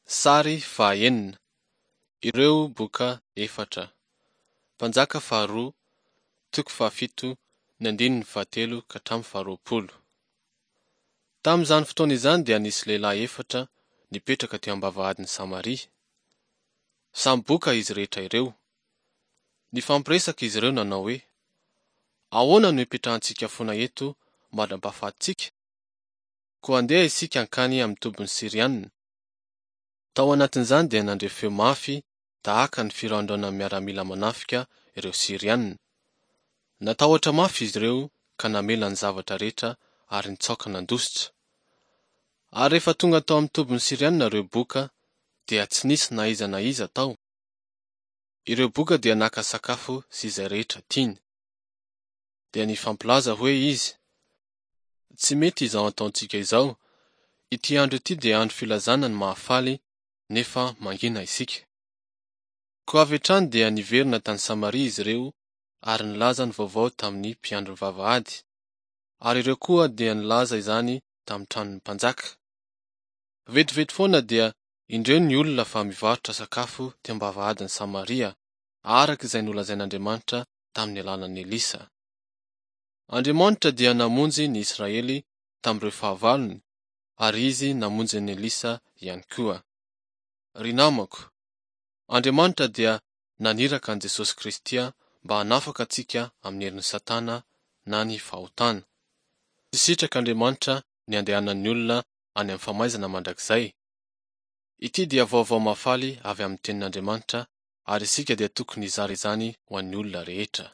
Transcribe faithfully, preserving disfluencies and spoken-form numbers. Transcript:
Sary fahaenina. Ireo boka efatra. Mpanjaka faharoa, toko fahafito, ny andininy fahatelo ka hatramin'ny faharoapolo. Tamin'izany fotoana izany dia nisy lehilahy efatra nipetraka teo am-bavahadin'i Samaria. Samy boka izy rehetra ireo. Nifampiresaka izy ireo nanao hoe: Ahoana no hipetrahantsika foana eto mandra-pahafatintsika? Koa andeha isika hankany amin'ny tobin'ny Syriana. Tao anatin'izany dia nandre feo mafy tahaka ny firaondraonan'ny miaramila manafika ireo Syriana. Natahotra mafy izy ireo ka namela ny zavatra rehetra ary nitsaoka nandositra. Ary rehefa tonga tao amin'ny tobin'ny Syriana ireo boka, dia tsy nisy na iza na iza tao. Ireo boka dia naka sakafo sy izay rehetra tiany. Dia nifampilaza hoe izy: Tsy mety izao ataontsika izao. Ity andro ity dia andro filazana ny mahafaly, nefa mangina isika. Koa avy hatrany dia niverina tany Samaria izy ireo ary nilaza ny vaovao tamin'ny mpiandry ny vavahady, ary ireo koa dia nilaza izany tamin'ny tranon'ny mpanjaka. Vetivety foana dia indreo ny olona fa mivarotra sakafo teo am-bavahadin'i Samaria, araka izay nolazain'Andriamanitra tamin'ny alalan'i Elisa. Andriamanitra dia namonjy ny Israely tamin'ireo fahavalony, ary Izy namonjy an'i Elisa ihany koa. Ry namako, Andriamanitra dia naniraka an'i Jesosy Kristy mba hanafaka antsika amin'ny herin'i Satana na ny fahotana. Tsy sitrak'Andriamanitra ny handehanan'ny olona any amin'ny famaizana mandrakizay. Ity dia vaovao mahafaly avy amin'ny Tenin'Andriamanitra ary isika dia tokony hizara izany ho an'ny olona rehetra.